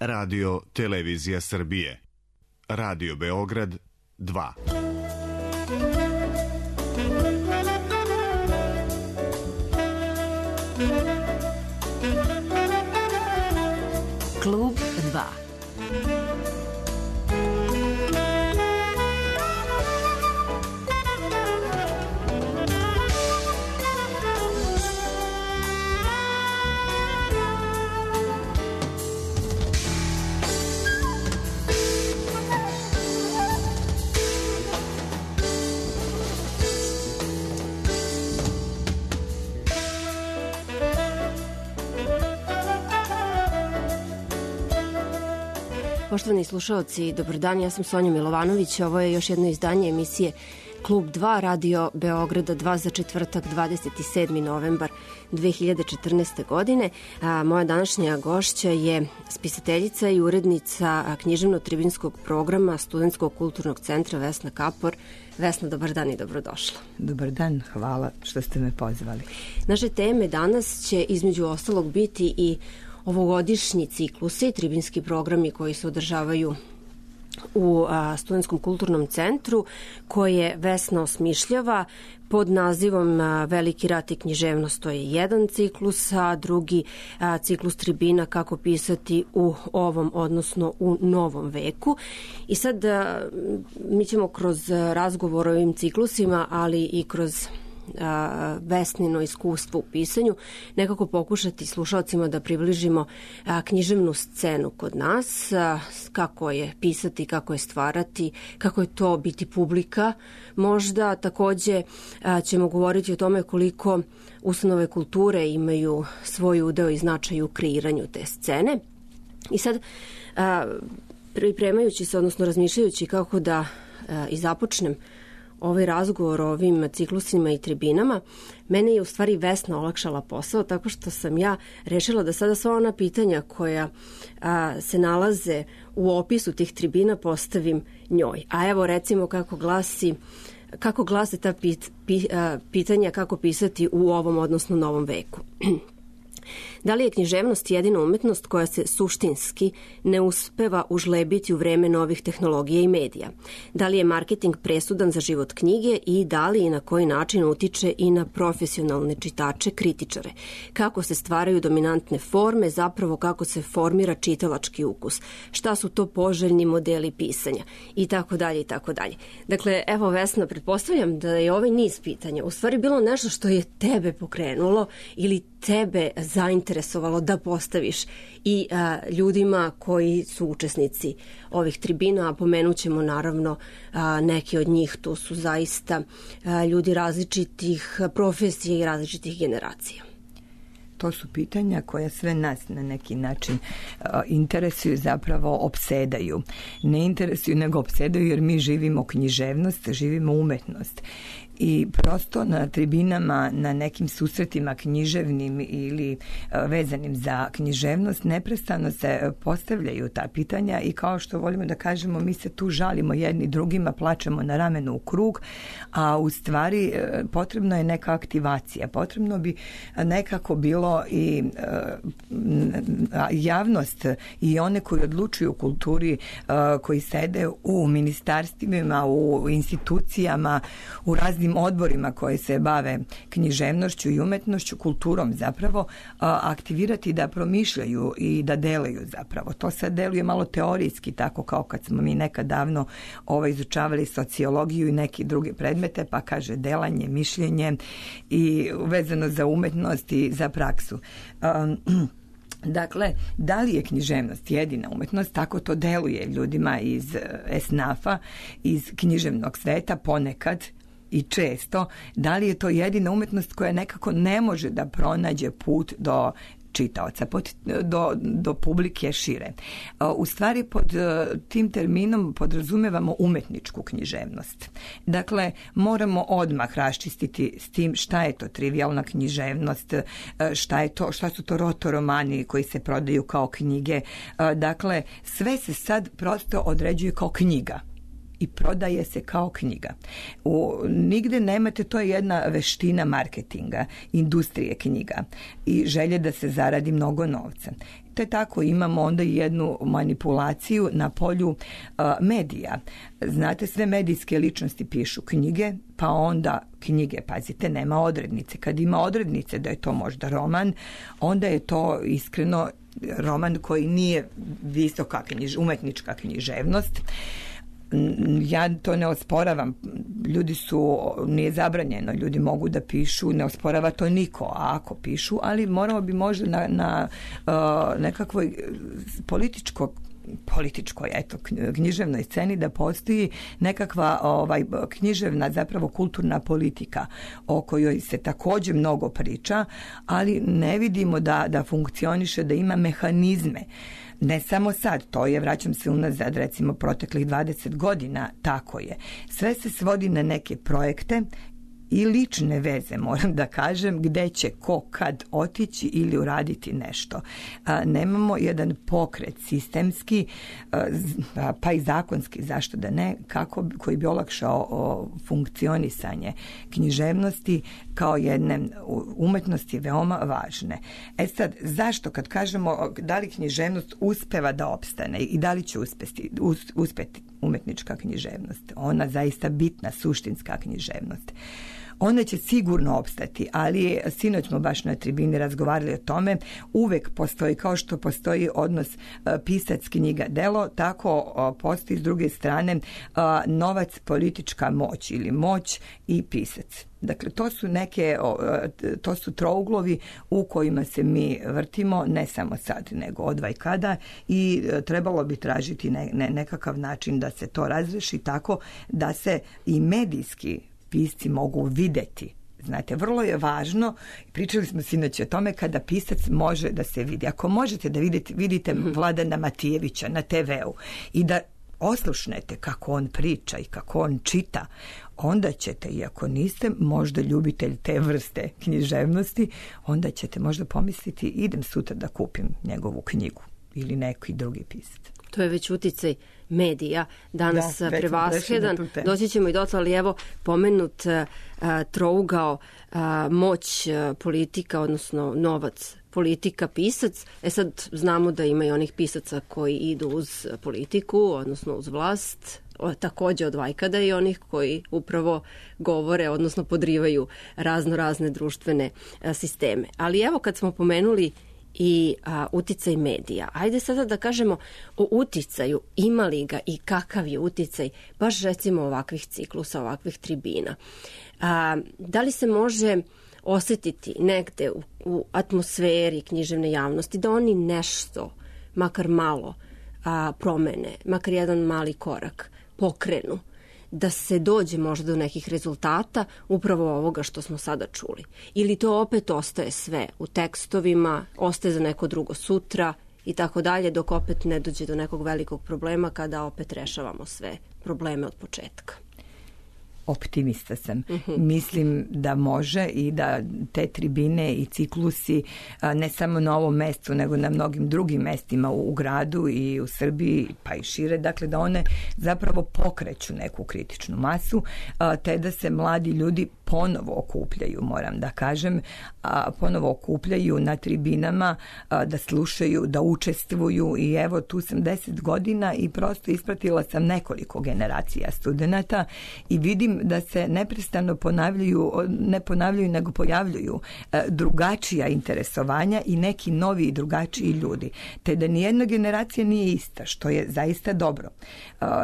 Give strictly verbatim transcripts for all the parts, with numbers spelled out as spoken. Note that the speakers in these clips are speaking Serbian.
Radio Televizija Srbije. Radio Beograd dva. Klub dva. Poštovani slušaoci, dobar dan, ja sam Sonja Milovanović, ovo je još jedno izdanje emisije Klub dva, Radio Beograda dva za četvrtak, dvadeset sedmi novembar dve hiljade četrnaeste. godine. A, moja današnja gošća je spisateljica i urednica književno-tribinskog programa Studentskog kulturnog centra Vesna Kapor. Vesna, dobar dan i dobrodošla. Dobar dan, hvala što ste me pozvali. Naše teme danas će između ostalog biti i ovogodišnji ciklusi, tribinski programi koji se održavaju u a, Studentskom kulturnom centru, koje Vesna osmišljava pod nazivom a, Veliki rat i književnost. To je jedan ciklus, a drugi a, ciklus tribina kako pisati u ovom, odnosno u novom veku. I sad a, mi ćemo kroz razgovor o ovim ciklusima, ali i kroz a, Vesnino iskustvo u pisanju nekako pokušati slušalcima da približimo a, književnu scenu kod nas, a, kako je pisati, kako je stvarati, kako je to biti publika. Možda takođe a, ćemo govoriti o tome koliko ustanove kulture imaju svoj udeo i značaj u kreiranju te scene. I sad a, pripremajući se, odnosno razmišljajući kako da a, i započnem ovaj razgovor o ovim ciklusima i tribinama, mene je u stvari Vesna olakšala posao, tako što sam ja rešila da sada sva ona pitanja koja a, se nalaze u opisu tih tribina postavim njoj. A evo recimo kako glasi, kako glase ta pit, pi, a, pitanja kako pisati u ovom, odnosno novom veku. Da li je književnost jedina umetnost koja se suštinski ne uspeva užlebiti u vreme novih tehnologija i medija? Da li je marketing presudan za život knjige i da li i na koji način utiče i na profesionalne čitače, kritičare? Kako se stvaraju dominantne forme, zapravo kako se formira čitalački ukus? Šta su to poželjni modeli pisanja? I tako dalje, i tako dalje. Dakle, evo Vesna, pretpostavljam da je ovaj niz pitanja u stvari bilo nešto što je tebe pokrenulo ili tebe zainteresovalo da postaviš i a, ljudima koji su učesnici ovih tribina, a pomenut ćemo naravno a, neki od njih, to su zaista a, ljudi različitih profesija i različitih generacija. To su pitanja koja sve nas na neki način uh, interesuju, zapravo opsedaju. Ne interesuju, nego opsedaju jer mi živimo književnost, živimo umetnost. I prosto na tribinama, na nekim susretima književnim ili uh, vezanim za književnost, neprestano se postavljaju ta pitanja i kao što volimo da kažemo, mi se tu žalimo jedni drugima, plačemo na ramenu u krug, a u stvari uh, potrebna je neka aktivacija. Potrebno bi nekako bilo i uh, javnost i one koji odlučuju u kulturi, uh, koji sede u ministarstvima, u institucijama, u raznim odborima koji se bave književnošću i umetnošću, kulturom zapravo, uh, aktivirati da promišljaju i da delaju zapravo. To sad deluje malo teorijski, tako kao kad smo mi nekad davno ovaj, izučavali sociologiju i neki druge predmete, pa kaže delanje, mišljenje i vezano za umetnost i za praksu. Um, dakle, da li je književnost jedina umetnost? Tako to deluje ljudima iz esnafa, iz književnog sveta ponekad i često. Da li je to jedina umetnost koja nekako ne može da pronađe put do čitaoca, do, do publike šire. U stvari pod tim terminom podrazumevamo umetničku književnost. Dakle, moramo odmah raščistiti s tim šta je to trivijalna književnost, šta je to, šta su to rotoromani koji se prodaju kao knjige. Dakle, sve se sad prosto određuje kao knjiga i prodaje se kao knjiga. U, nigde nemate, to je jedna veština marketinga, industrije knjiga i želje da se zaradi mnogo novca. te tako imamo onda i jednu manipulaciju na polju uh, medija. Znate, sve medijske ličnosti pišu knjige, pa onda knjige, pazite, nema odrednice. Kad ima odrednice da je to možda roman, onda je to iskreno roman koji nije visoka knjiž, umetnička književnost. Ja to ne osporavam, ljudi su, nije zabranjeno, ljudi mogu da pišu, ne osporava to niko, a ako pišu, ali moramo bi možda na, na uh, nekakvoj političkoj političkoj, eto, književnoj sceni da postoji nekakva ovaj, književna, zapravo kulturna politika o kojoj se također mnogo priča, ali ne vidimo da, da funkcioniše, da ima mehanizme. Ne samo sad, to je, vraćam se unazad, recimo proteklih dvadeset godina, tako je. Sve se svodi na neke projekte i lične veze, moram da kažem, gde će ko kad otići ili uraditi nešto. A, nemamo jedan pokret sistemski, a, pa i zakonski, zašto da ne, kako, koji bi olakšao o, funkcionisanje književnosti kao jedne umetnosti veoma važne. E sad, zašto kad kažemo da li književnost uspeva da opstane i da li će uspeti, us, uspeti umetnička književnost, ona zaista bitna, suštinska književnost, ona će sigurno opstati, ali sinoć smo baš na tribini razgovarali o tome, uvek postoji, kao što postoji odnos pisac, knjiga, delo, tako postoji s druge strane novac, politička moć ili moć i pisac. Dakle, to su neke, to su trouglovi u kojima se mi vrtimo, ne samo sad, nego odvaj kada, i trebalo bi tražiti ne, ne, nekakav način da se to razreši tako da se i medijski pisci mogu videti. Znate, vrlo je važno, pričali smo sinoć o tome, kada pisac može da se vidi. Ako možete da vidite, vidite Vladana Matijevića na te veu i da oslušnete kako on priča i kako on čita, onda ćete, iako niste možda ljubitelj te vrste književnosti, onda ćete možda pomisliti idem sutra da kupim njegovu knjigu ili neki drugi pisac. To je već uticaj medija danas da, prevashedan. Doći ćemo i dotle, ali evo pomenut uh, trougao uh, moć uh, politika, odnosno novac, politika, pisac. E sad znamo da ima i onih pisaca koji idu uz politiku, odnosno uz vlast, o, također od vajkada i onih koji upravo govore, odnosno podrivaju razno razne društvene uh, sisteme. Ali evo kad smo pomenuli i a, uticaj medija. Ajde sada da kažemo o uticaju, ima li ga i kakav je uticaj baš recimo ovakvih ciklusa, ovakvih tribina. A, da li se može osjetiti negde u, u atmosferi književne javnosti da oni nešto, makar malo, a, promene, makar jedan mali korak pokrenu, da se dođe možda do nekih rezultata upravo ovoga što smo sada čuli. Ili to opet ostaje sve u tekstovima, ostaje za neko drugo sutra i tako dalje, dok opet ne dođe do nekog velikog problema kada opet rešavamo sve probleme od početka. Optimista sam. Uh-huh. Mislim da može i da te tribine i ciklusi ne samo na ovom mestu, nego na mnogim drugim mestima u gradu i u Srbiji, pa i šire, dakle da one zapravo pokreću neku kritičnu masu, te da se mladi ljudi ponovo okupljaju, moram da kažem, ponovo okupljaju na tribinama, da slušaju, da učestvuju, i evo tu sam deset godina i prosto ispratila sam nekoliko generacija studenata i vidim da se neprestano ponavljaju, ne ponavljaju, nego pojavljuju drugačija interesovanja i neki novi i drugačiji ljudi. Te da nijedna generacija nije ista, što je zaista dobro.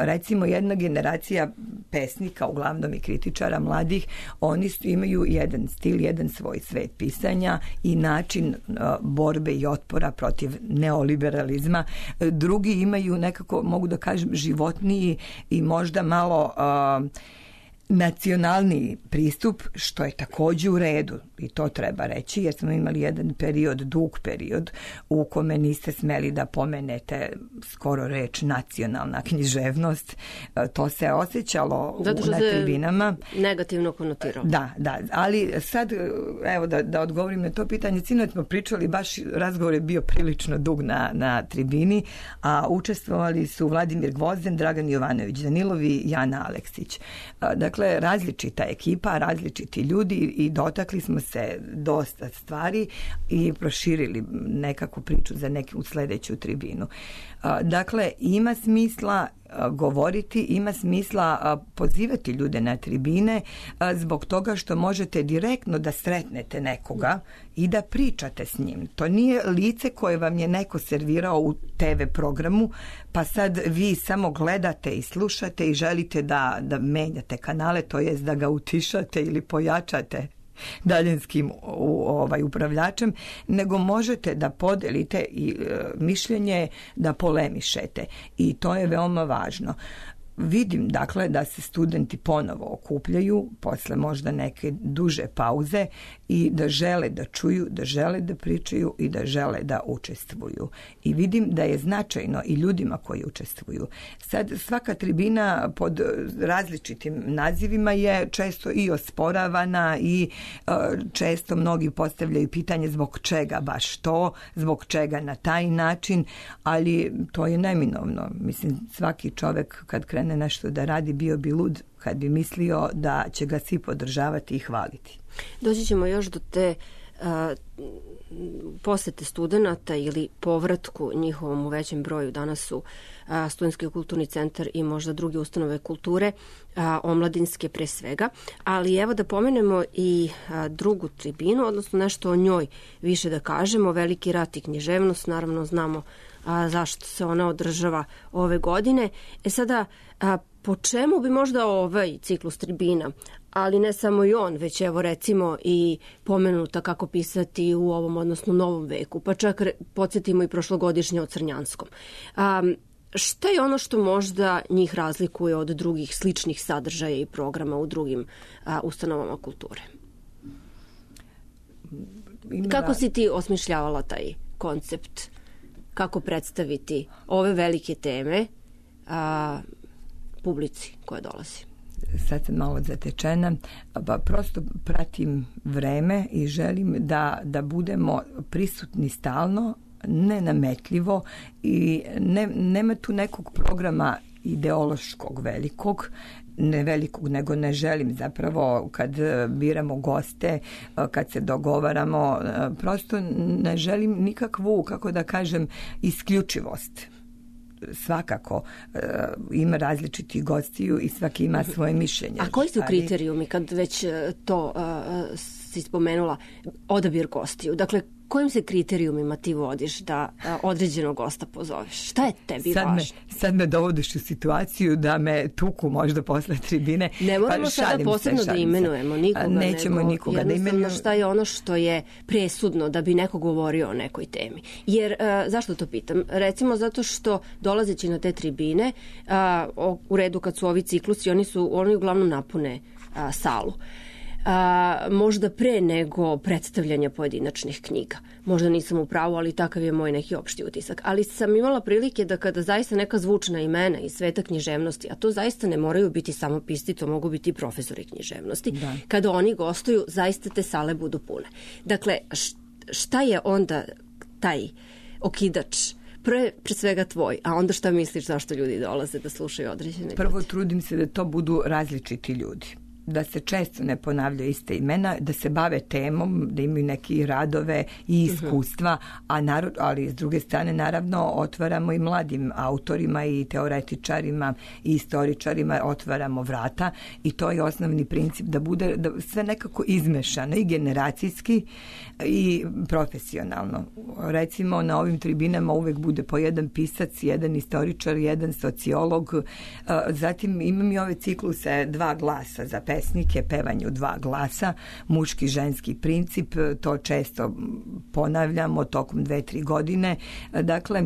Recimo, jedna generacija pesnika, uglavnom i kritičara mladih, oni imaju jedan stil, jedan svoj svet pisanja i način borbe i otpora protiv neoliberalizma. Drugi imaju nekako, mogu da kažem, životniji i možda malo uh, nacionalni pristup, što je također u redu i to treba reći, jer smo imali jedan period, dug period u kome niste smeli da pomenete skoro reč nacionalna književnost. To se osjećalo zato na tribinama. Negativno konotiralo. Da, da, ali sad evo da, da odgovorim na to pitanje. Sinoć smo pričali, baš razgovor je bio prilično dug na, na tribini, a učestvovali su Vladimir Gvozden, Dragan Jovanović Danilovi i Jana Aleksić. Dakle, Dakle, različita ekipa, različiti ljudi i dotakli smo se dosta stvari i proširili nekakvu priču za neku sljedeću tribinu. Dakle, ima smisla govoriti, ima smisla pozivati ljude na tribine zbog toga što možete direktno da sretnete nekoga i da pričate s njim. To nije lice koje vam je neko servirao u te ve programu, pa sad vi samo gledate i slušate i želite da, da menjate kanale, to jest da ga utišate ili pojačate daljinskim ovaj, upravljačem, nego možete da podelite i e, mišljenje, da polemišete. I to je veoma važno. Vidim, dakle, da se studenti ponovo okupljaju posle možda neke duže pauze i da žele da čuju, da žele da pričaju i da žele da učestvuju. I vidim da je značajno i ljudima koji učestvuju. Sad, svaka tribina pod različitim nazivima je često i osporavana i uh, često mnogi postavljaju pitanje zbog čega baš to, zbog čega na taj način, ali to je neminovno. Mislim, svaki čovek kad krene nešto da radi, bio bi lud kad bi mislio da će ga svi podržavati i hvaliti. Doći ćemo još do te uh, posete studenta ili povratku njihovom u većem broju. Danas su uh, Studentski kulturni centar i možda druge ustanove kulture, uh, omladinske pre svega. Ali evo da pomenemo i uh, drugu tribinu, odnosno nešto o njoj više da kažemo. Veliki rat i književnost, naravno znamo a zašto se ona održava ove godine. E sada, a, po čemu bi možda ovaj ciklus tribina, ali ne samo i on, već evo recimo i pomenuta kako pisati u ovom, odnosno novom veku, pa čak podsjetimo i prošlogodišnje o Crnjanskom. A, šta je ono što možda njih razlikuje od drugih sličnih sadržaja i programa u drugim a, ustanovama kulture? Kako si ti osmišljavala taj koncept? Kako predstaviti ove velike teme a, publici koja dolazi? Sad sam malo zatečena, pa prosto pratim vreme i želim da, da budemo prisutni stalno, nenametljivo i ne, nema tu nekog programa ideološkog velikog, ne velikog, nego ne želim zapravo kad biramo goste, kad se dogovaramo, prosto ne želim nikakvu, kako da kažem, isključivost. Svakako uh, ima različitih gostiju i svaki ima svoje mišljenje. A koji su kriterijumi kad već to uh, si spomenula, odabir gostiju? Dakle, kojim se kriterijumima ti vodiš da a, određenog gosta pozoveš? Šta je tebi sad važno? Me, sad me dovodiš u situaciju da me tuku možda posle tribine. Ne moramo pa, sada posebno se, da imenujemo nikoga. Nećemo nego nikoga da imenujemo. Šta je ono što je presudno da bi neko govorio o nekoj temi? Jer, a, zašto to pitam? Recimo zato što dolazeći na te tribine, a, o, u redu kad su ovi ciklusi, oni su oni uglavnom napune a, salu. A, možda pre nego predstavljanja pojedinačnih knjiga. Možda nisam u pravu, ali takav je moj neki opšti utisak. Ali sam imala prilike da kada zaista neka zvučna imena iz sveta književnosti, a to zaista ne moraju biti samo pisci, to mogu biti i profesori književnosti, da. Kada oni gostuju, zaista te sale budu pune. Dakle, šta je onda taj okidač? Pre, pre svega tvoj, a onda šta misliš zašto ljudi dolaze da slušaju određene Prvo ljudi? Trudim se da to budu različiti ljudi. Da se često ne ponavljaju iste imena, da se bave temom, da imaju neke radove i iskustva, uh-huh. a narod, ali s druge strane naravno otvaramo i mladim autorima i teoretičarima i istoričarima otvaramo vrata i to je osnovni princip da bude da sve nekako izmešano i generacijski i profesionalno. Recimo na ovim tribinama uvek bude po jedan pisac, jedan istoričar, jedan sociolog, zatim imam i ove cikluse dva glasa za pesnike, pevanje u dva glasa, muški, ženski princip, to često ponavljamo tokom dve, tri godine. Dakle,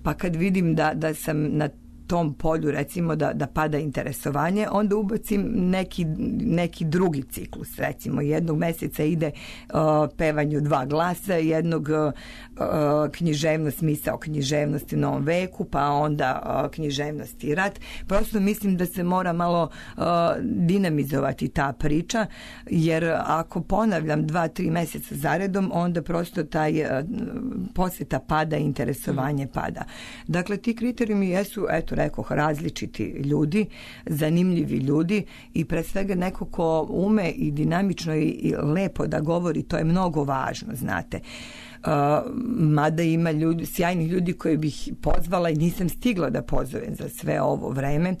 pa kad vidim da, da sam na tom polju recimo da, da pada interesovanje, onda ubacim neki, neki drugi ciklus. Recimo jednog meseca ide uh, pevanje u dva glasa, jednog uh, književnost, misao književnosti u novom veku, pa onda uh, književnost i rat. Prosto mislim da se mora malo uh, dinamizovati ta priča, jer ako ponavljam dva, tri meseca zaredom, onda prosto taj uh, posjeta pada, interesovanje pada. Dakle, ti kriterijumi jesu, eto, što rekoh, različiti ljudi, zanimljivi ljudi i pre svega neko ko ume i dinamično i lepo da govori, to je mnogo važno, znate. Uh, mada ima ljudi, sjajnih ljudi koje bih pozvala i nisam stigla da pozovem za sve ovo vreme.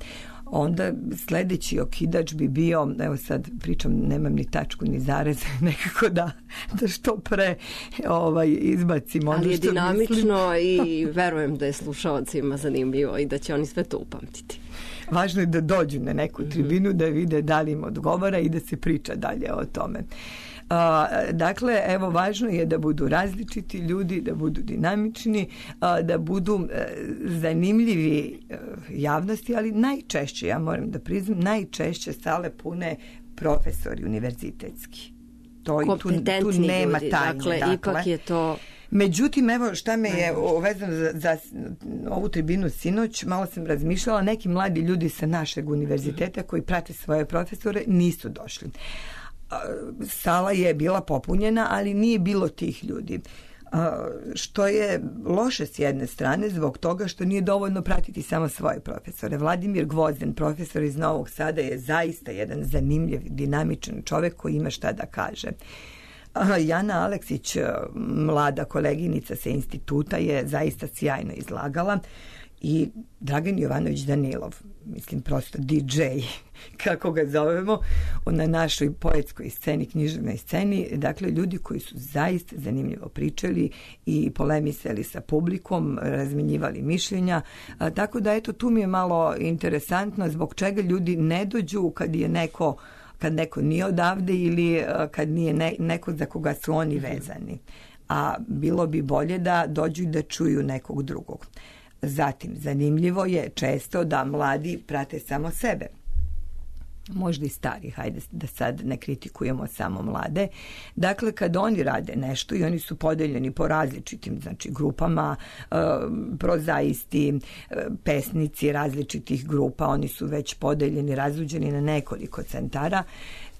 Onda sledeći okidač bi bio, evo sad pričam, nemam ni tačku ni zarez, nekako da, da što pre ovaj, izbacim ono što ali je dinamično mislim. I verujem da je slušalcima zanimljivo i da će oni sve to upamtiti. Važno je da dođu na neku tribinu, da vide da li im odgovara i da se priča dalje o tome. Uh, dakle, evo, važno je da budu različiti ljudi, da budu dinamični, uh, da budu uh, zanimljivi uh, javnosti, ali najčešće, ja moram da priznam, najčešće sale pune profesori univerzitetski. To i tu, tu nema ljudi, tajne. Dakle, dakle, ipak je to... Međutim, evo šta me je vezano za, za ovu tribinu sinoć, malo sam razmišljala, neki mladi ljudi sa našeg univerziteta koji prate svoje profesore nisu došli. Sala je bila popunjena, ali nije bilo tih ljudi. Što je loše s jedne strane zbog toga što nije dovoljno pratiti samo svoje profesore. Vladimir Gvozden, profesor iz Novog Sada, je zaista jedan zanimljiv, dinamičan čovek koji ima šta da kaže. Jana Aleksić, mlada koleginica sa instituta, je zaista sjajno izlagala i Dragan Jovanović Danilov, mislim prosto D J, kako ga zovemo, na našoj poetskoj sceni, književnoj sceni, dakle ljudi koji su zaista zanimljivo pričali i polemisali sa publikom, razmenjivali mišljenja, a, tako da eto tu mi je malo interesantno zbog čega ljudi ne dođu kad je neko kad neko nije odavde ili kad nije ne, neko za koga su oni vezani. A bilo bi bolje da dođu i da čuju nekog drugog. Zatim, zanimljivo je često da mladi prate samo sebe. Možda i stari, hajde da sad ne kritikujemo samo mlade. Dakle, kad oni rade nešto i oni su podeljeni po različitim, znači, grupama, e, prozaisti, e, pesnici različitih grupa, oni su već podeljeni, razluđeni na nekoliko centara.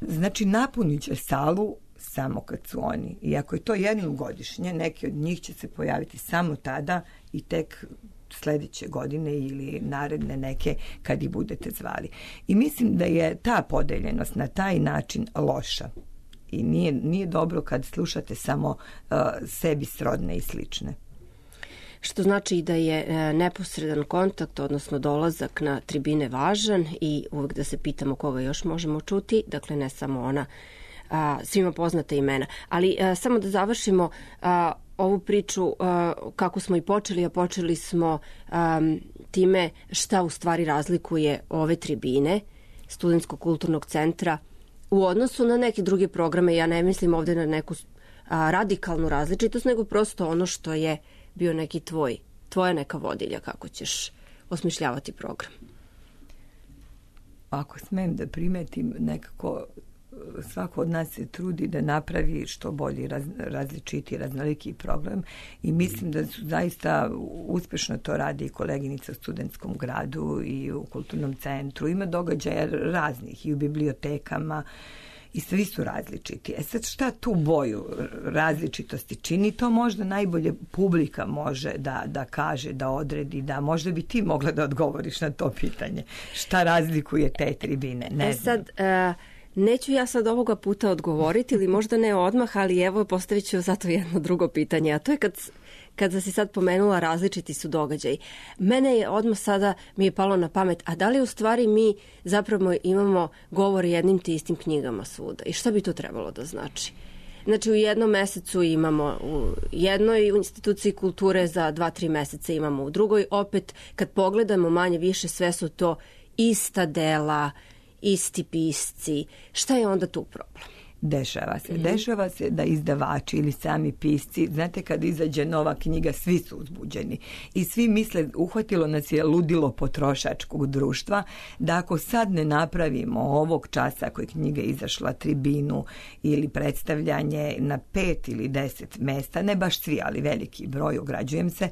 Znači, napunit će salu samo kad su oni. I ako je to jednom godišnje, neki od njih će se pojaviti samo tada i tek sledeće godine ili naredne neke kad ih budete zvali. I mislim da je ta podeljenost na taj način loša. I nije, nije dobro kad slušate samo uh, sebi srodne i slične. Što znači da je e, neposredan kontakt, odnosno dolazak na tribine važan i uvek da se pitamo koga još možemo čuti, dakle ne samo ona a, svima poznata imena. Ali a, samo da završimo a, ovu priču a, kako smo i počeli, a počeli smo a, time šta u stvari razlikuje ove tribine Studentskog kulturnog centra u odnosu na neke druge programe. Ja ne mislim ovde na neku a, radikalnu različitost, nego prosto ono što je bio neki tvoj, tvoja neka vodilja kako ćeš osmišljavati program. Ako smem da primetim, nekako svako od nas se trudi da napravi što bolji, raz, različiti, raznoliki program i mislim da su zaista uspešno to radi i koleginica u Studentskom gradu i u kulturnom centru. Ima događaja raznih i u bibliotekama i svi su različiti. E sad šta tu boju različitosti čini? To možda najbolje publika može da, da kaže, da odredi, da možda bi ti mogla da odgovoriš na to pitanje. Šta razlikuje te tribine? Ne e sad, uh, neću ja sad ovoga puta odgovoriti ili možda ne odmah, ali evo postavit ću zato jedno drugo pitanje, a to je kad kada si sad pomenula različiti su događaji. Mene je odmah sada mi je palo na pamet, a da li u stvari mi zapravo imamo govor jednim te istim knjigama svuda i šta bi to trebalo da znači? Znači u jednom mesecu imamo u jednoj instituciji kulture, za dva, tri meseca imamo u drugoj. Opet kad pogledamo manje više sve su to ista dela, isti pisci. Šta je onda tu problem? Dešava se. Mm-hmm. Dešava se da izdavači ili sami pisci, znate kad izađe nova knjiga, svi su uzbuđeni. I svi misle, uhvatilo nas je ludilo potrošačkog društva, da ako sad ne napravimo ovog časa ako je knjiga izašla tribinu ili predstavljanje na pet ili deset mesta, ne baš svi, ali veliki broj, ograđujem se,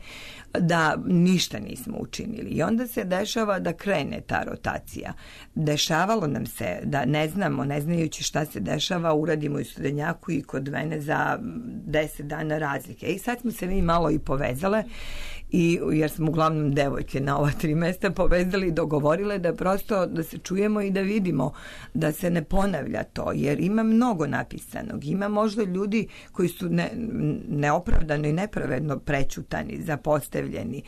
da ništa nismo učinili. I onda se dešava da krene ta rotacija. Dešavalo nam se da ne znamo, ne znajući šta se dešava uradimo i Studenjaku i kod mene za deset dana razlike. I sad smo se mi malo i povezale, i, jer smo uglavnom devojke na ova tri mesta povezali i dogovorile da prosto da se čujemo i da vidimo da se ne ponavlja to, jer ima mnogo napisanog. Ima možda ljudi koji su ne, neopravdano i nepravedno prećutani, zapostavljeni.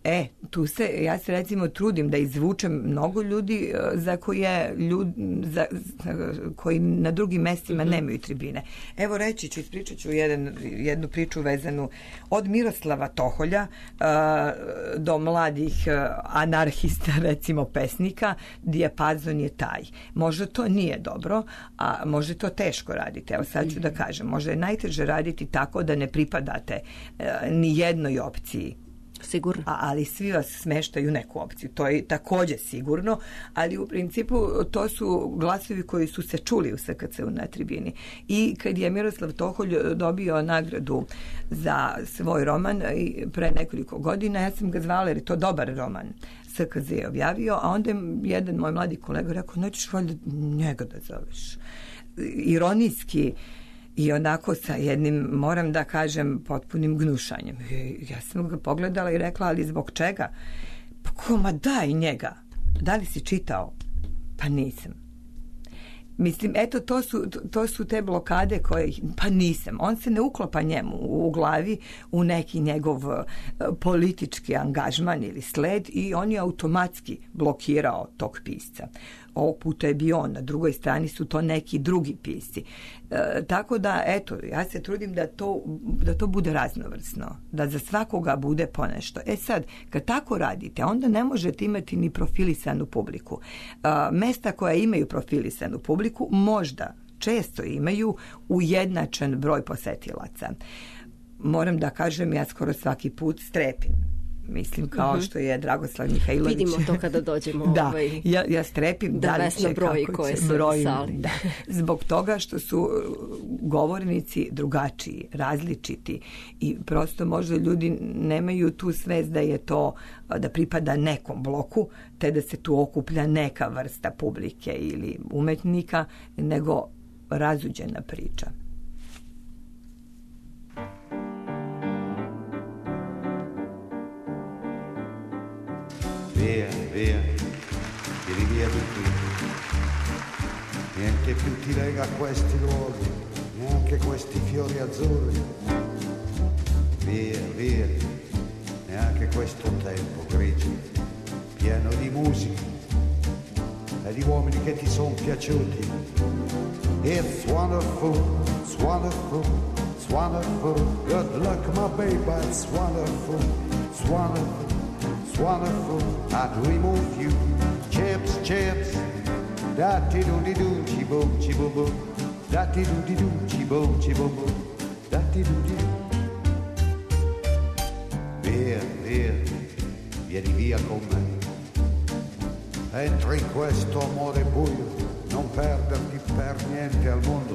E, tu se, ja se recimo trudim da izvučem mnogo ljudi za koje ljudi, za, koji na drugim mestima nemaju tribine. Evo reći ću, ispričat ću jedan, jednu priču vezanu od Miroslava Toholja uh, do mladih uh, anarhista, recimo pesnika, dijapazon je taj. Možda to nije dobro, a možda to teško raditi. Evo sad ću da kažem, možda je najteže raditi tako da ne pripadate uh, ni jednoj opciji. Sigurno. A, ali svi vas smeštaju u neku opciju. To je takođe sigurno, ali u principu to su glasovi koji su se čuli u S K C-u na tribini. I kad je Miroslav Toholj dobio nagradu za svoj roman pre nekoliko godina, ja sam ga zvala jer je to dobar roman. S K Z je objavio, a onda je jedan moj mladi kolega rekao, nećeš valjda njega da zoveš. Ironijski i onako sa jednim, moram da kažem, potpunim gnušanjem. Ja sam ga pogledala i rekla, ali zbog čega? Pa koma, daj njega. Da li si čitao? Pa nisam. Mislim, eto, to su, to su te blokade koje, pa nisam. On se ne uklopa njemu u glavi u neki njegov politički angažman ili sled i on je automatski blokirao tog pisca. Ovog puta je bio on, na drugoj strani su to neki drugi pisci. E, tako da, eto, ja se trudim da to, da to bude raznovrsno, da za svakoga bude ponešto. E sad, kad tako radite, onda ne možete imati ni profilisanu publiku. E, mesta koja imaju profilisanu publiku možda često imaju ujednačen broj posetilaca. Moram da kažem, ja skoro svaki put strepim. Mislim, kao uh-huh. što je Dragoslav Mihajlović. Vidimo to kada dođemo. Da, ovaj, ja, ja strepim da, da li će, broji kako koje će, su broj, sali. Da. Zbog toga što su govornici drugačiji, različiti i prosto možda ljudi nemaju tu svest da je to, da pripada nekom bloku, te da se tu okuplja neka vrsta publike ili umetnika, nego razuđena priča. Via, via, vieni via di qui. Niente più ti lega questi luoghi, neanche questi fiori azzurri. Via, via, neanche questo tempo grigio, pieno di musica e di uomini che ti sono piaciuti. It's wonderful, it's wonderful, it's wonderful. Good luck, my baby, it's wonderful, it's wonderful. It's wonderful, I dream of you. Chips, chips, da-ti-do-di-do, chi-boom, chi-boom-boom. Da-ti-do-di-do, chi-boom, chi-boom-boom. Da-ti-do-di-do. Via, via, vieni via con me. Entra in questo amore buio, non perderti per niente al mondo.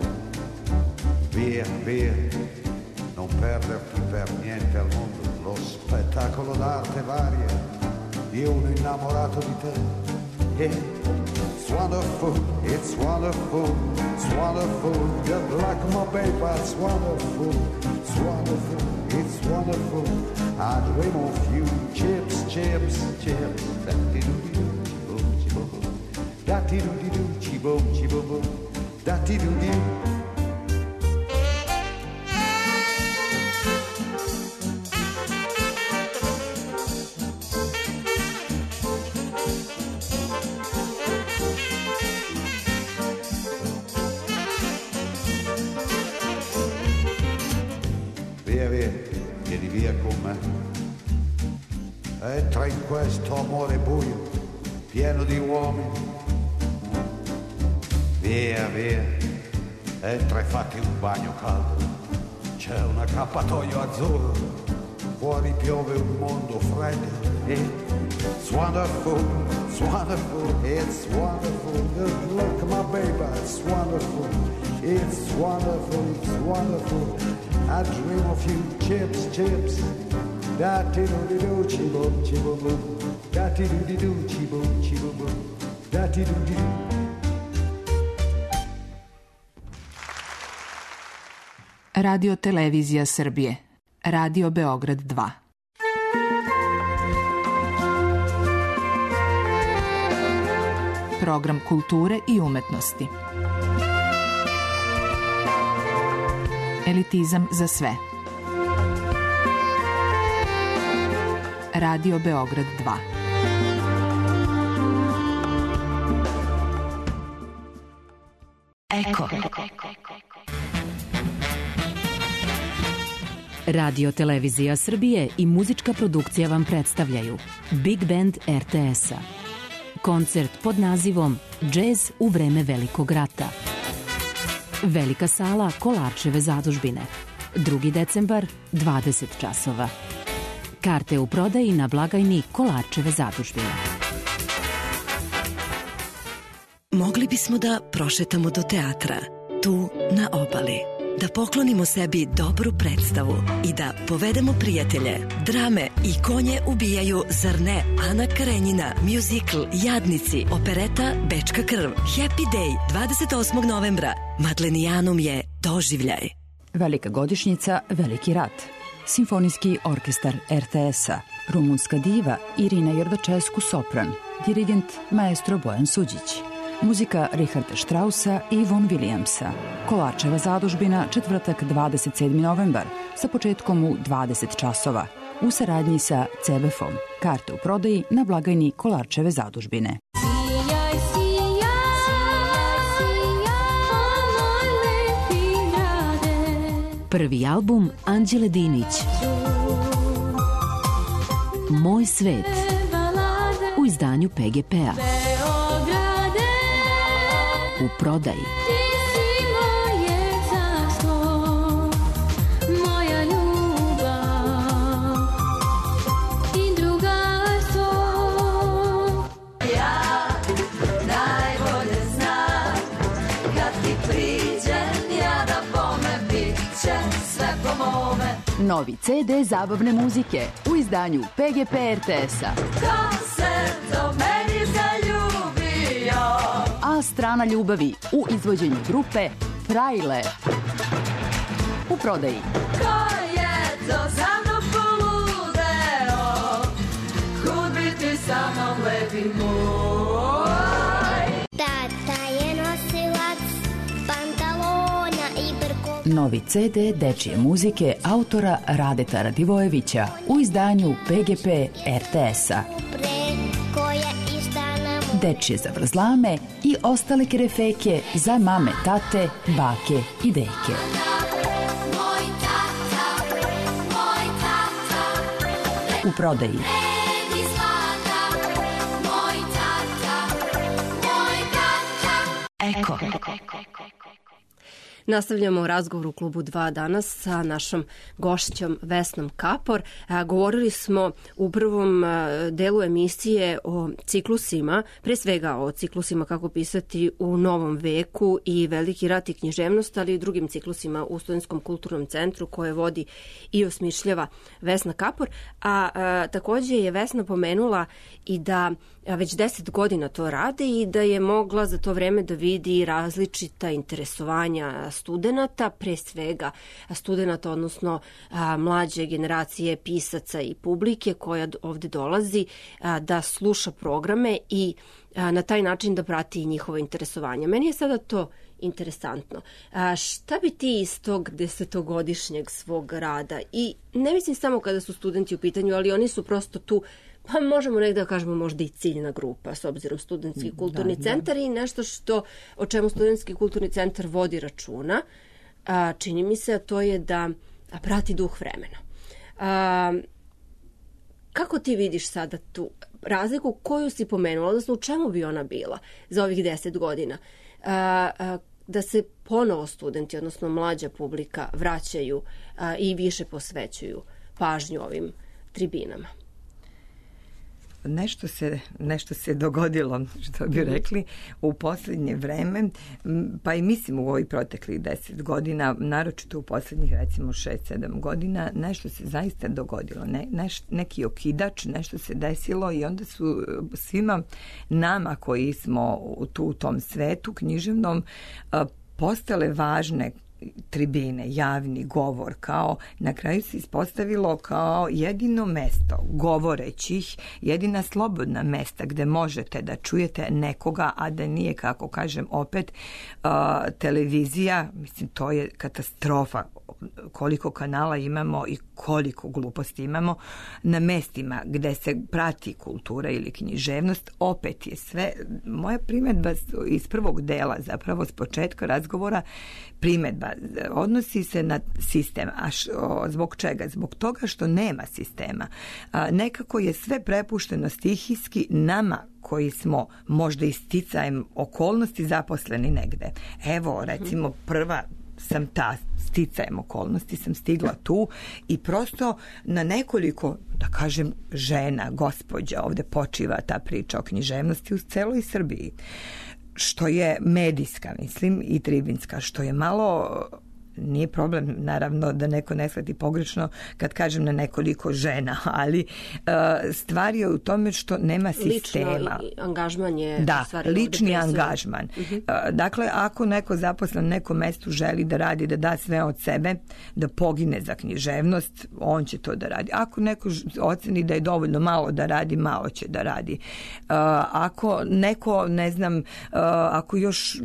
Via, via, non perderti per niente al mondo. Lo spettacolo d'arte varia di uno innamorato di te. Yeah. It's wonderful, it's wonderful, it's wonderful. Good luck, my baby, it's wonderful, it's wonderful, it's wonderful. I dream of you. Chips, chips, chips. Da-ti-do-di-do, chi-boom, chi-boom-boom. Da-ti-do-di-do, chi-boom, chi-boom-boom. Da-ti-do-di-do. Entra in questo amore buio, pieno di uomini. Via, via, entra e fatti un bagno caldo. C'è un accappatoio azzurro, fuori piove un mondo freddo. It's wonderful, it's wonderful, it's wonderful. Good luck, my baby, it's wonderful. It's wonderful, it's wonderful. I dream of you. Chips, chips. Da-ti-do-di-do, chi-boom, chi-boom-boom. Da-ti-do-di-do, chi-boom, chi-boom-boom. Da-ti-do-di-do. Radio Televizija Srbije. Radio Beograd dva. Program kulture i umetnosti. Elitizam za sve. Radio Beograd dva. Eko. Radio Televizija Srbije i muzička produkcija vam predstavljaju Big Band er te es-a. Koncert pod nazivom Džez u vreme Velikog rata. Velika sala Kolarčeve zadužbine. drugi decembar, dvadeset časova. Karte u prodaji na blagajni Kolarčeve zadužbine. Mogli bismo da prošetamo do teatra, tu na obali. Da poklonimo sebi dobru predstavu i da povedemo prijatelje. Drame i konje ubijaju, zar ne? Ana Karenjina, muzikl Jadnici, opereta Bečka krv, Happy Day, dvadeset osmog novembra. Madlenijanum je doživljaj. Velika godišnjica, Veliki rat. Simfonijski orkestar er te es-a. Rumunska diva Irina Jordačesku sopran. Dirigent maestro Bojan Suđić. Muzika Richarda Straussa i Von Williamsa. Kolarčeva zadužbina, četvrtak dvadeset sedmi novembar, sa početkom u dvadeset časova. U saradnji sa ce be ef-om. Karte u prodaji na blagajni Kolarčeve zadužbine. Prvi album Anđele Dinić. Moj svet. U izdanju pe ge pe-a. U prodaji. Novi ce de zabavne muzike u izdanju pe ge pe er te es-a. Ko se do meni zaljubio? A strana ljubavi u izvođenju grupe Frajle. U prodaji. Ko je to za mnom poludeo? Kud bi ti sa mnom lepi moj? Tata je nosilac pantalona i brko. Novi ce de dečije muzike autora Radeta Radivojevića u izdanju pe ge pe er te es-a. Dečije zavrzlame i ostale kerefeke za mame, tate, bake i deke. U prodaji. Eko. Nastavljamo razgovor u klubu dva danas sa našom gošćom Vesnom Kapor. Govorili smo u prvom delu emisije o ciklusima, pre svega o ciklusima kako pisati u novom veku i Veliki rat i književnost, ali i drugim ciklusima u Studentskom kulturnom centru koje vodi i osmišljava Vesna Kapor. A, a takođe je Vesna pomenula i da već deset godina to rade i da je mogla za to vreme da vidi različita interesovanja studenata, pre svega studenata, odnosno a, mlađe generacije pisaca i publike koja ovde dolazi a, da sluša programe i a, na taj način da prati njihovo interesovanje. Meni je sada to interesantno. A, šta bi ti iz tog desetogodišnjeg svog rada, i ne mislim samo kada su studenti u pitanju, ali oni su prosto tu, pa možemo nekada da kažemo možda i ciljna grupa, s obzirom Studentski kulturni da, centar da. I nešto što, o čemu Studentski kulturni centar vodi računa, a, čini mi se, a to je da a, prati duh vremena. A, kako ti vidiš sada tu razliku koju si pomenula, odnosno u čemu bi ona bila za ovih deset godina? A, a, da se ponovo studenti, odnosno mlađa publika, vraćaju a, i više posvećuju pažnju ovim tribinama? Nešto se, nešto se dogodilo, što bi rekli, u poslednje vreme, pa i mislim u ovih proteklih deset godina, naročito u poslednjih recimo šest sedam godina, nešto se zaista dogodilo, ne, neš, neki okidač, nešto se desilo i onda su svima nama koji smo tu u tom svetu književnom postale važne tribine, javni govor, kao na kraju se ispostavilo kao jedino mesto govorećih, jedina slobodna mesta gde možete da čujete nekoga, a da nije, kako kažem, opet uh, televizija. Mislim, to je katastrofa koliko kanala imamo i koliko gluposti imamo na mestima gde se prati kultura ili književnost. Opet je sve, moja primedba iz prvog dela, zapravo s početka razgovora, primedba odnosi se na sistem. A š, o, zbog čega? Zbog toga što nema sistema. A, nekako je sve prepušteno stihijski nama koji smo možda isticajem okolnosti zaposleni negde. Evo, recimo, prva sam ta sticajem okolnosti sam stigla tu i prosto na nekoliko, da kažem, žena, gospođa, ovde počiva ta priča o književnosti u celoj Srbiji, što je medijska, mislim, i tribinska, što je malo... Nije problem, naravno, da neko ne shvati pogrešno kad kažem na nekoliko žena, ali uh, stvar je u tome što nema sistema. Lično angažman je... Da, lični angažman. Uh-huh. Uh, dakle, ako neko zaposlen na nekom mestu želi da radi, da da sve od sebe, da pogine za književnost, on će to da radi. Ako neko oceni da je dovoljno malo da radi, malo će da radi. Uh, ako neko, ne znam, uh, ako još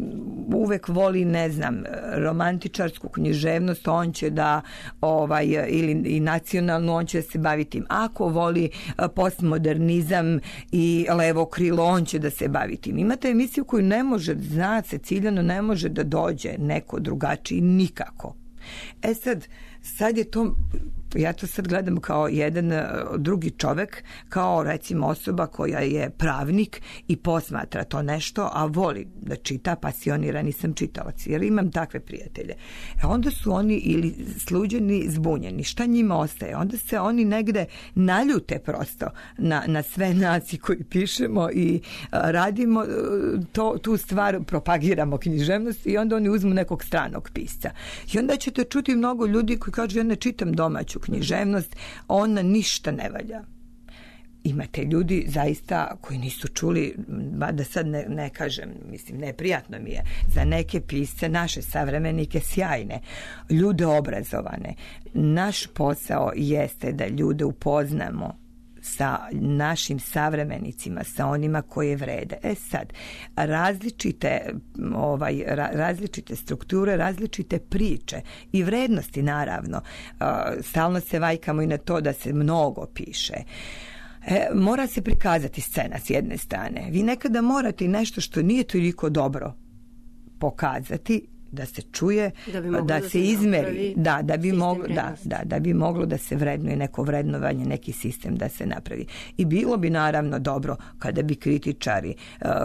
uvek voli, ne znam, romantičarsku književnost, on će da ovaj, ili i nacionalno, on će da se bavi tim. Ako voli postmodernizam i levo krilo, on će da se bavi tim. Imate emisiju koju ne može, zna se ciljano, ne može da dođe neko drugačiji nikako. E sad, sad je to, ja to sad gledam kao jedan drugi čovek, kao recimo osoba koja je pravnik i posmatra to nešto, a voli da čita, pasionirani sam čitalac, jer imam takve prijatelje. E onda su oni ili sluđeni, zbunjeni. Šta njima ostaje? Onda se oni negde naljute prosto na, na sve nas koji pišemo i a, radimo to, tu stvar, propagiramo književnost i onda oni uzmu nekog stranog pisca. I onda ćete čuti mnogo ljudi koji kažu, ja ne čitam domaću književnost, ona ništa ne valja. Imate ljudi zaista koji nisu čuli, ba da sad ne, ne kažem, mislim, neprijatno mi je, za neke pisce, naše savremenike sjajne, ljude obrazovane. Naš posao jeste da ljude upoznamo sa našim savremenicima, sa onima koje vrede. E sad, različite, ovaj, različite strukture, različite priče i vrednosti, naravno. Stalno se vajkamo i na to da se mnogo piše. E, mora se prikazati scena s jedne strane. Vi nekada morate nešto što nije toliko dobro pokazati, da se čuje, da, da, da se, se izmeri, da, da bi moglo, da, da, da bi moglo da se vrednuje neko vrednovanje, neki sistem da se napravi. I bilo bi naravno dobro kada bi kritičari,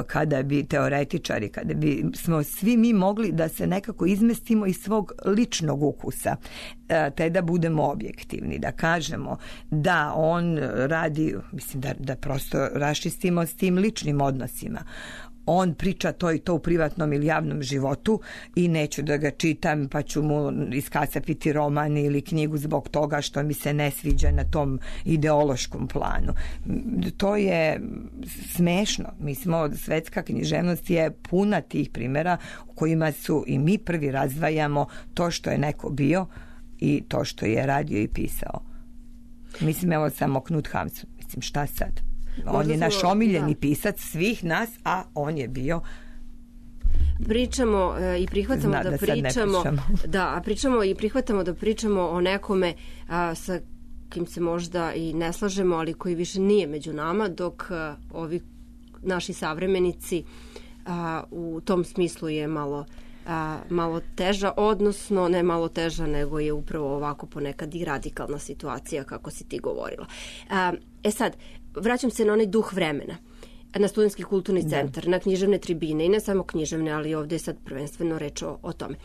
kada bi teoretičari, kada bi smo svi mi mogli da se nekako izmestimo iz svog ličnog ukusa, te da budemo objektivni, da kažemo da on radi, mislim da, da prosto raščistimo s tim ličnim odnosima. On priča to i to u privatnom ili javnom životu i neću da ga čitam pa ću mu iskacapiti roman ili knjigu zbog toga što mi se ne sviđa na tom ideološkom planu. To je smešno. Mi smo, svetska književnost je puna tih primjera u kojima su i mi prvi razdvajamo to što je neko bio i to što je radio i pisao. Mislim, evo samo Knut Hamsun. Mislim, šta sad? On Možda je naš omiljeni da. pisac svih nas, a on je bio... Pričamo e, i prihvatamo Zna, da, da pričamo... Da, a pričamo i prihvatamo da pričamo o nekome a, sa kim se možda i ne slažemo, ali koji više nije među nama, dok a, ovi naši savremenici a, u tom smislu je malo... A, malo teža, odnosno ne malo teža, nego je upravo ovako ponekad i radikalna situacija, kako si ti govorila. A, e sad, vraćam se na onaj duh vremena, na Studentski kulturni centar, da. na književne tribine i ne samo književne, ali ovdje je sad prvenstveno reč o, o tome.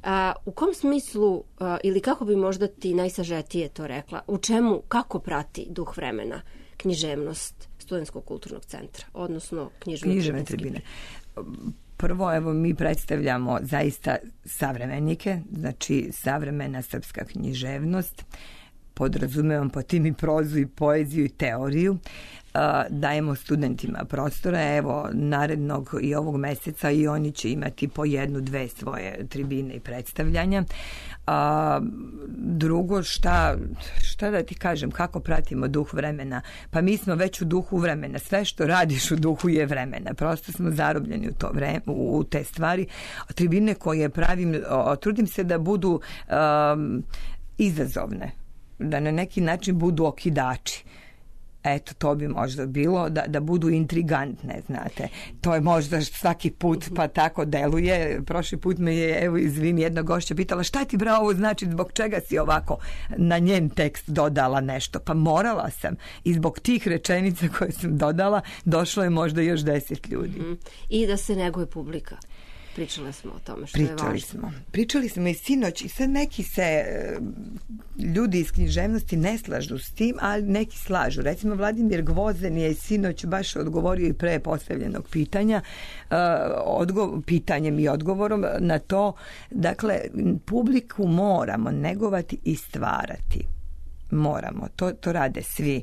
A, u kom smislu, a, ili kako bi možda ti najsažetije to rekla, u čemu, kako prati duh vremena književnost Studentskog kulturnog centra, odnosno književne, književne tribine? Prvo, evo, mi predstavljamo zaista savremenike, znači savremena srpska književnost, podrazumevam po tim i prozu i poeziju i teoriju. dajemo studentima prostora. Evo, narednog i ovog meseca i oni će imati po jednu, dve svoje tribine i predstavljanja. A, drugo, šta, šta da ti kažem, kako pratimo duh vremena? Pa mi smo već u duhu vremena. Sve što radiš u duhu je vremena. Prosto smo zarobljeni u, to vreme, u te stvari. Tribine koje pravim, o, trudim se da budu um, izazovne, da na neki način budu okidači. Eto, to bi možda bilo, da, da budu intrigantne, znate. To je možda svaki put pa tako deluje. Prošli put me je, evo, izvini, jedna gošća pitala šta ti bre ovo znači, zbog čega si ovako na njen tekst dodala nešto? Pa morala sam. I zbog tih rečenica koje sam dodala, došlo je možda još deset ljudi. Mm-hmm. I da se neguje publika. Pričali smo o tome što Pričali je važno. Smo. Pričali smo i sinoć i sad neki se ljudi iz književnosti ne slažu s tim, ali neki slažu. Recimo Vladimir Gvozden je sinoć baš odgovorio i pre postavljenog pitanja, odgo- pitanjem i odgovorom na to. Dakle, publiku moramo negovati i stvarati. Moramo, to, to rade svi.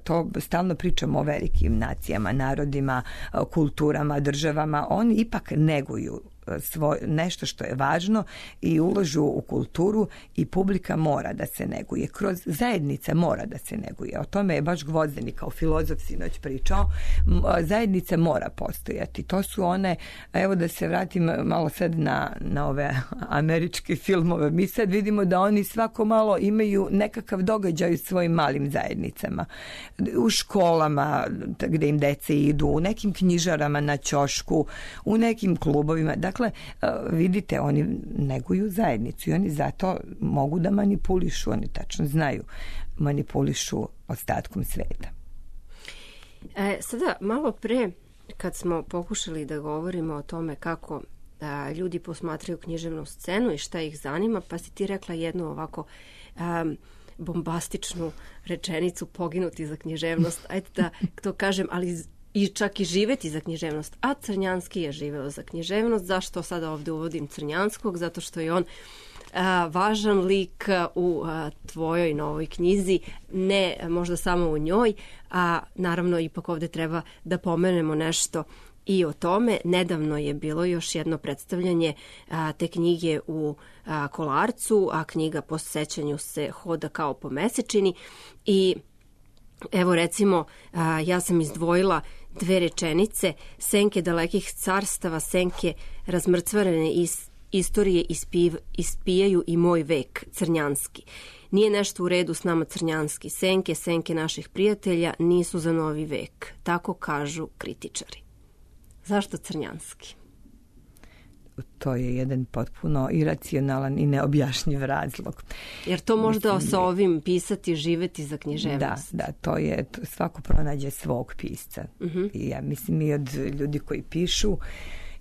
To stalno pričamo o velikim nacijama, narodima, kulturama, državama. Oni ipak neguju svoj, nešto što je važno i ulažu u kulturu i publika mora da se neguje. Kroz zajednica mora da se neguje. O tome je baš Gvozden kao filozof sinoć pričao. Zajednica mora postojati. To su one, evo da se vratim malo sad na, na ove američke filmove. Mi sad vidimo da oni svako malo imaju nekakav događaj u svojim malim zajednicama. U školama gde im dece idu, u nekim knjižarama na ćošku, u nekim klubovima. Dakle, vidite, oni neguju zajednicu i oni zato mogu da manipulišu, oni tačno znaju, manipulišu ostatkom sveta. E, sada, malo pre, kad smo pokušali da govorimo o tome kako a, ljudi posmatraju književnu scenu i šta ih zanima, pa si ti rekla jednu ovako a, bombastičnu rečenicu, poginuti za književnost. Ajde da to kažem, ali i čak i živeti za književnost. A Crnjanski je živeo za književnost. Zašto sada ovde uvodim Crnjanskog? Zato što je on a, važan lik u a, tvojoj novoj knjizi, ne možda samo u njoj, a naravno ipak ovde treba da pomenemo nešto i o tome. Nedavno je bilo još jedno predstavljanje a, te knjige u a, Kolarcu, a knjiga po sećanju se hoda kao po mesečini i evo recimo, a, ja sam izdvojila dve rečenice. Senke dalekih carstava, senke razmrcvarene iz istorije ispiv, ispijaju i moj vek, Crnjanski. Nije nešto u redu s nama, Crnjanski. Senke, senke naših prijatelja nisu za novi vek. Tako kažu kritičari. Zašto Crnjanski? To je jedan potpuno iracionalan i neobjašnjiv razlog. Jer to možda Mislim, sa ovim pisati, živeti za književnost. Da, da, to je, to svako pronađe svog pisca. Uh-huh. I ja mislim i od ljudi koji pišu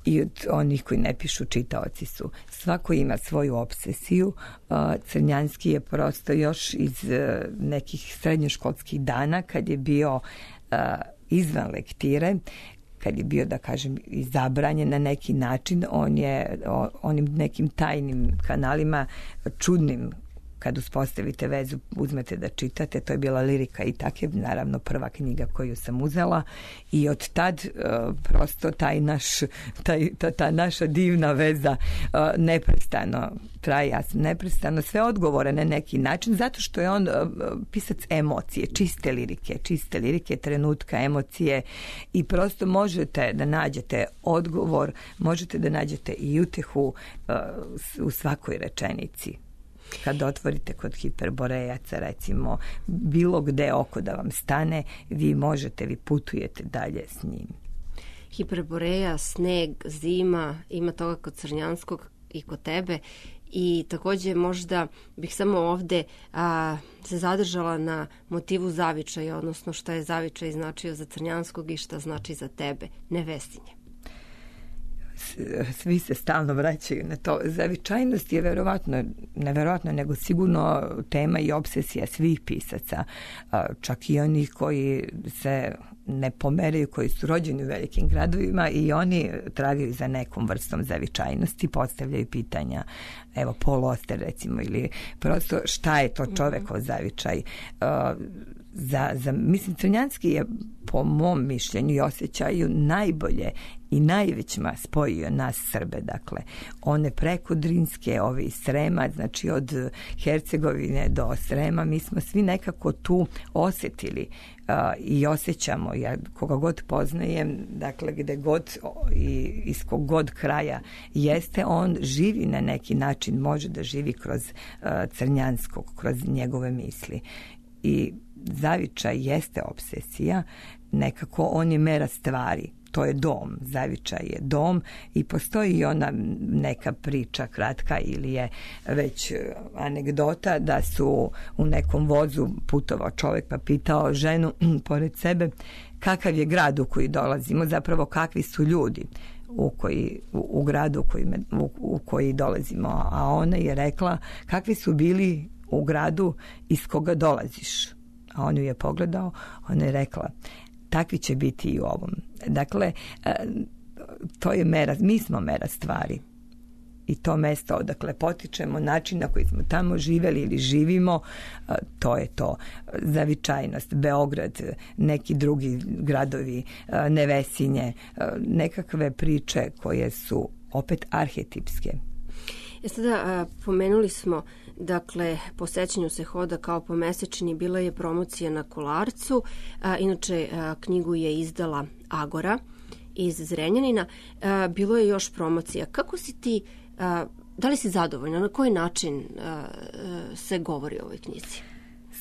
i od onih koji ne pišu, čitaoci su. Svako ima svoju obsesiju. Crnjanski je prosto još iz nekih srednjoškolskih dana, kad je bio izvan lektire, kad je bio, da kažem, izabranjen na neki način, on je onim nekim tajnim kanalima, čudnim, kad uspostavite vezu, uzmete da čitate, to je bila Lirika i tak je, naravno, prva knjiga koju sam uzela i od tad uh, prosto taj naš, taj, ta, ta naša divna veza uh, neprestano traje, ja sam neprestano sve odgovore na neki način, zato što je on uh, pisac emocije, čiste lirike, čiste lirike, trenutka, emocije i prosto možete da nađete odgovor, možete da nađete i utehu uh, u svakoj rečenici. Kad otvorite kod Hiperborejaca, recimo, bilo gde oko da vam stane, vi možete, vi putujete dalje s njim. Hiperboreja, sneg, zima, ima toga kod Crnjanskog i kod tebe. I takođe možda bih samo ovde a, se zadržala na motivu zavičaja, odnosno šta je zavičaj značio za Crnjanskog i šta znači za tebe, Nevesinje. Svi se stalno vraćaju na to. Zavičajnost je verovatno, neverovatno, nego sigurno tema i obsesija svih pisaca, čak i onih koji se ne pomeraju, koji su rođeni u velikim gradovima i oni tragaju za nekom vrstom zavičajnosti, postavljaju pitanja, evo, Paul Auster recimo, ili prosto šta je to čovekov zavičaj. za, za, mislim, Crnjanski je po mom mišljenju i osjećaju najbolje i najvećima spojio nas Srbe, dakle, one preko Drinske, ove iz Srema, znači od Hercegovine do Srema, mi smo svi nekako tu osjetili uh, i osjećamo, ja koga god poznajem, dakle, gde god i iz kog god kraja jeste, on živi na neki način, može da živi kroz uh, Crnjanskog, kroz njegove misli. I zavičaj jeste obsesija, nekako on je mera stvari, to je dom, zavičaj je dom i postoji i ona neka priča kratka ili je već anegdota da su u nekom vozu putovao čovjek pa pitao ženu pored sebe kakav je grad u koji dolazimo, zapravo kakvi su ljudi u koji, u, u gradu u koji, u, u koji dolazimo, a ona je rekla kakvi su bili u gradu iz koga dolaziš. A on ju je pogledao, ona je rekla takvi će biti i u ovom. Dakle, to je mera, mi smo mera stvari. I to mesto odakle potičemo, način na koji smo tamo živeli ili živimo, to je to. Zavičajnost, Beograd, neki drugi gradovi, Nevesinje, nekakve priče koje su opet arhetipske. E sada, pomenuli smo, dakle, po sećanju se hoda kao po mesečini, bila je promocija na Kolarcu, a, inače a, knjigu je izdala Agora iz Zrenjanina, a, bilo je još promocija. Kako si ti, a, da li si zadovoljna, na koji način a, a, se govori o ovoj knjizi?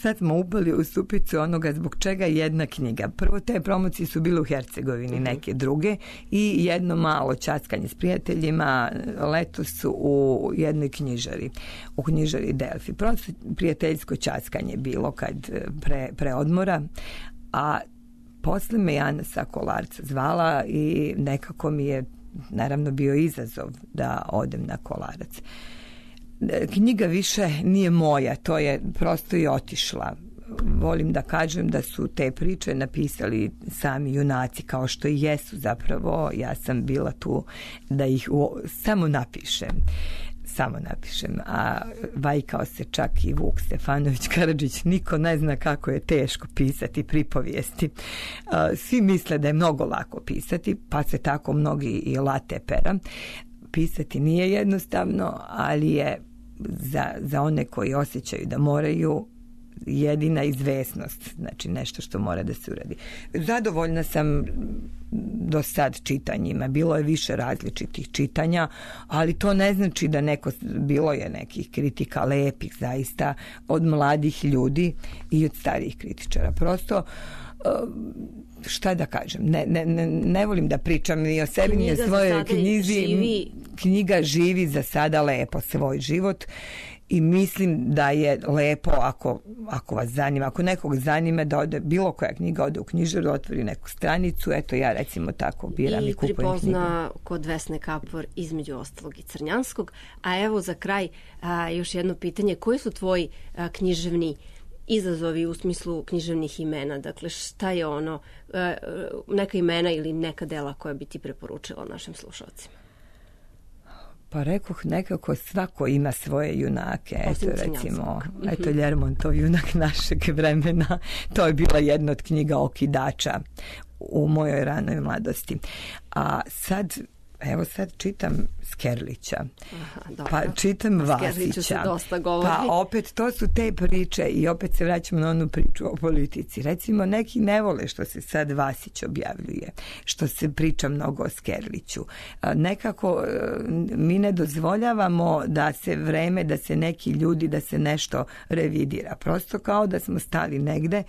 Sad smo upali u stupicu onoga zbog čega jedna knjiga. Prvo, te promocije su bile u Hercegovini, neke druge, i jedno malo ćaskanje s prijateljima letos u jednoj knjižari, u knjižari Delfi. Prosto prijateljsko ćaskanje bilo kad pre, pre odmora, a posle me Jana sa Kolarca zvala i nekako mi je naravno bio izazov da odem na Kolarac. Knjiga više nije moja, to je prosto i otišla. Volim da kažem da su te priče napisali sami junaci, kao što i jesu zapravo. Ja sam bila tu da ih u, samo napišem. Samo napišem. A vajkao se čak i Vuk Stefanović Karadžić. Niko ne zna kako je teško pisati pripovijesti. Svi misle da je mnogo lako pisati, pa se tako mnogi i late pera. Pisati nije jednostavno, ali je za, za one koji osjećaju da moraju jedina izvesnost, znači nešto što mora da se uradi. Zadovoljna sam do sad čitanjima, bilo je više različitih čitanja, ali to ne znači da neko, bilo je nekih kritika lepih zaista od mladih ljudi i od starijih kritičara. Prosto šta da kažem, ne, ne, ne, ne volim da pričam ni o sebi, ni o svojoj knjizi. Živi. Knjiga živi za sada lepo svoj život i mislim da je lepo ako, ako vas zanima, ako nekog zanima da ode, bilo koja knjiga ode u knjižaru, otvori neku stranicu, eto ja recimo tako biram i, i kupujem knjigu. I pripozna kod Vesne Kapor između ostalog i Crnjanskog. A evo za kraj a, još jedno pitanje, koji su tvoji a, književni izazovi u smislu književnih imena? Dakle, šta je ono, neka imena ili neka dela koja bi ti preporučila našim slušalcima? Pa rekoh, nekako svako ima svoje junake. Eto, recimo, eto Ljermontov junak našeg vremena. To je bila jedna od knjiga okidača u mojoj ranoj mladosti. A sad, evo sad čitam Skerlića, aha, pa čitam Vasića, pa opet to su te priče i opet se vraćamo na onu priču o politici. Recimo, neki ne vole što se sad Vasić objavljuje, što se priča mnogo o Skerliću. Nekako mi ne dozvoljavamo da se vreme, da se neki ljudi, da se nešto revidira. Prosto kao da smo stali negde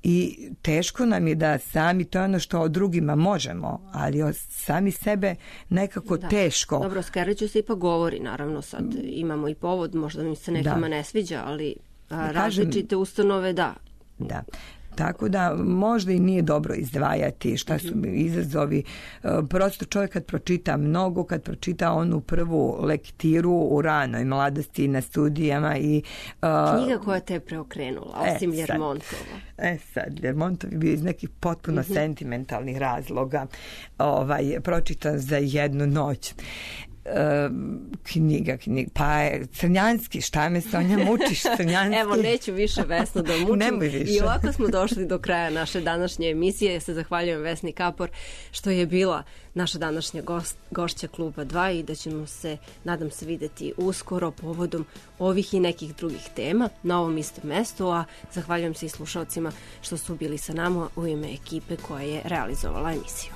i teško nam je da sami, to je ono što o drugima možemo, ali o sami sebe nekako da. Teško. Dobro, Skerliću se ipak govori, naravno sad imamo i povod, možda mi se nekima da. Ne sviđa, ali a, različite ustanove da. Da. Tako da možda i nije dobro izdvajati šta su izazovi. Prosto čovjek kad pročita mnogo, kad pročita onu prvu lektiru u ranoj mladosti na studijama i... Uh, knjiga koja te je preokrenula, osim e, Ljermontova. E sad, Ljermontov je bio iz nekih potpuno mm-hmm. sentimentalnih razloga ovaj, pročitan za jednu noć. knjiga, knjiga, pa je Crnjanski, šta me Sonja mučiš, Crnjanski? Evo, neću više Vesnu da mučim. Nemoj više. I ovako smo došli do kraja naše današnje emisije. Ja se zahvaljujem Vesni Kapor što je bila naša današnja gost, gošća Kluba dva i da ćemo se, nadam se, videti uskoro povodom ovih i nekih drugih tema na ovom istom mestu, a zahvaljujem se i slušalcima što su bili sa nama u ime ekipe koja je realizovala emisiju.